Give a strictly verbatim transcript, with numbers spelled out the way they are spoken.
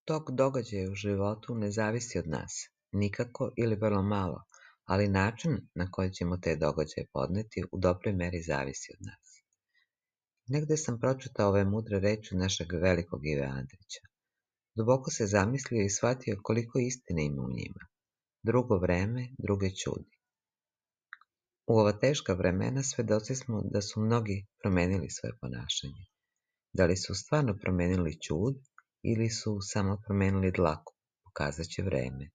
Tok događaja u životu ne zavisi od nas, nikako ili vrlo malo, ali način na koji ćemo te događaje podneti u dobroj meri zavisi od nas. Negde sam pročitao ove mudre reči našeg velikog Ive Andrića. Duboko se zamislio i shvatio koliko istine ima u njima. Drugo vreme, druge čudi. U ova teška vremena svedoci smo da su mnogi promenili svoje ponašanje. Da li su stvarno promenili ćud ili su samo promenili dlaku, pokazat će vreme.